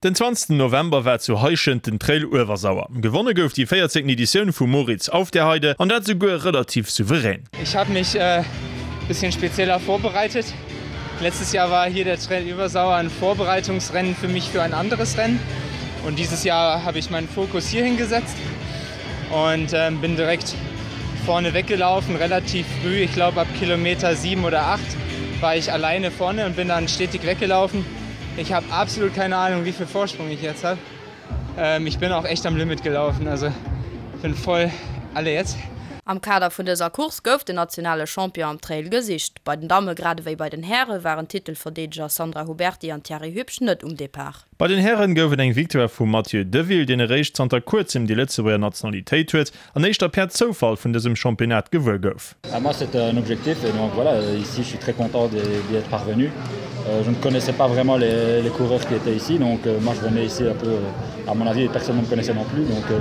Den 20 November war zu Heischent den Trail Uewersauer. Gewonne gouf déi 14. Editioun vum Moritz Aufderheide an dat souguer relativ souverän. Ich habe mich bisschen spezieller vorbereitet. Letztes Jahr war hier der Trail Übersauer ein Vorbereitungsrennen für mich für ein anderes Rennen. Und dieses Jahr habe ich meinen Fokus hier hingesetzt und ähm, bin direkt vorne weggelaufen, relativ früh. Ich glaube ab Kilometer 7 oder 8 war ich alleine vorne und bin dann stetig weggelaufen. Ich habe absolut keine Ahnung, wie viel Vorsprung ich jetzt habe. Ähm, ich bin auch echt am Limit gelaufen, also bin voll alle jetzt. Am Kader vun dëser Course gouf den nationale Champion am Trail gesicht. Bei den Damme grad ewéi bei den Häre waren d'Titelverdeedeger Sandra Huberty an Thierry Hübsch net um Depart. Bei den Hären gouf et eng Victoire vum Mathieu Deville, deen eréischt zanter kuerzem déi Lëtzebuerger Nationalitéit huet an éischter per Zoufall vun dësem Championnat gewuer gouf. À moi c'était un objectif et donc voilà ici je suis très content d'y être parvenu. Euh, je ne connaissais pas vraiment les, les coureurs qui étaient ici donc euh, moi je venais ici un peu euh, à mon avis personne ne me connaissait non plus donc euh,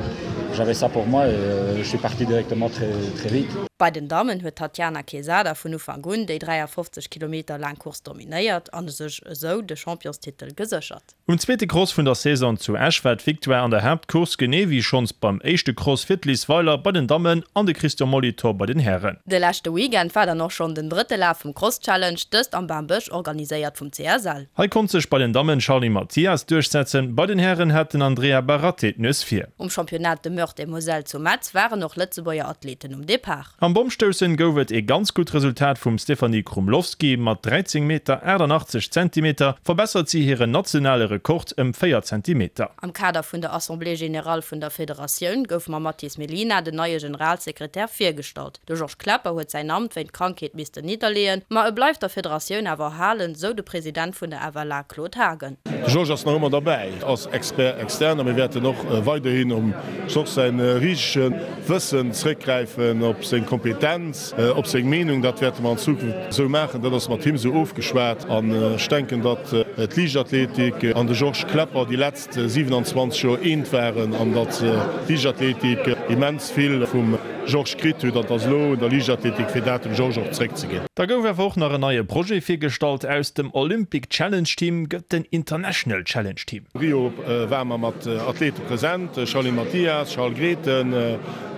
j'avais ça pour moi et euh, je suis parti directement très, très vite. Bei den Dammen huet d'Tatiana Quezada vun Ufank un déi 53 Kilometer laang Course dominéiert an sech esou de Championstitel geséchert. Um zweete Cross vun der Saison zu Esch war d'Victoire an der Haaptcourse, genee wéi schonns beim éischte Cross fir d'Liz Weiler bei den Dammen an de Christian Molitor bei den Hären. De leschte Weekend war dann och schonn den drëtte Laf vum Cross Challenge, dëst am Bambësch, organiséiert vum CSL. Hei konnt sech bei den Dammen d'Charly Mathias duerchsetzen, bei den Hären hat den Andrea Baratti d'Nues vir. Um Championnat de Meurthe et Moselle zu Metz waren och Lëtzebuerger Athleten um Depart. Am Bommstoussen gouf et ee ganz gutt Resultat vum Stéphanie Krumlovsky. Mat 13 Meter 88 Zentimeter verbessert si hiren nationale Rekord ëm 4 Zentimeter. Am Kader vun der Assemblée générale vun der Federatioun gouf mam Mathis Mellina den neie Generalsekretär virgestallt. De Georges Klepper huet säin Amt wéint Krankheet missten nidderleeën, ma e bleift der Federatioun awer erhalen, sou de President vun der FLA Claude Haagen. De Georges ass nach ëmmer derbäi als Expert externe a mir wäerten och weiderhin um Georges säi risege Wëssen zréckgräifen, op seng Kompetenz, op seng Meenung. Dat wäerte mer an Zukunft esou maachen. Dat ass mat him esou ofgeschwat an ech denken, datt d'Liichtathletik an de Georges Klepper déi letzt 27 Joer eent waren an datt d'Liichtathletik immens vill vum Georges kritt huet an et ass elo un der Liichtathletik fir dat dem Georges och zréckzeginn. Da gouf awer och nach en neie Projet virgestallt, Aus dem Olympic Challenge Team gëtt den International Challenge Team. Rio ware mer mat Athlete present, Charline Mathias, Charles Grethen,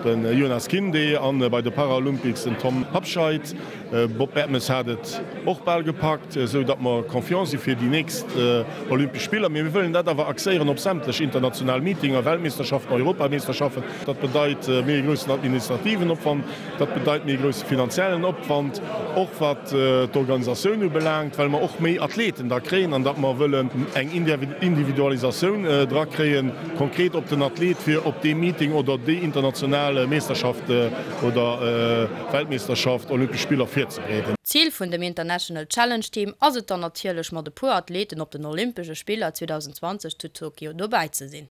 de Jonas Kinde an bei de Paralympics den Tom Habscheid. Bob Bertemes hat et och bal gepackt, esou datt mer confiant si fir déi nächst Olympesch Spiller. Mee mir wëllen dat awer axéieren op sämtlech international Meetinger, Weltmeeschterschaften, Europameeschterschaften. Dat bedeit méi e groussen administrativen Opwand, dat bedeit méi e grousse finanziellen Opwand, och wat d'Organisatioun ubelaangt, well mer och méi Athleten da kréien an datt mer wëllen eng Individualisatioun dra kréien, konkret op den Athlet, fir op dee Meeting oder déi international Meeschterschaft oder Weltmeeschterschaft, Olympesch Spiller virzebereeden. D'Zil vun dem International Challenge Team ass et dann natierlech, mat e puer Athleten op den Olympesche Spiller 2020 zu Tokio dobäi ze sinn.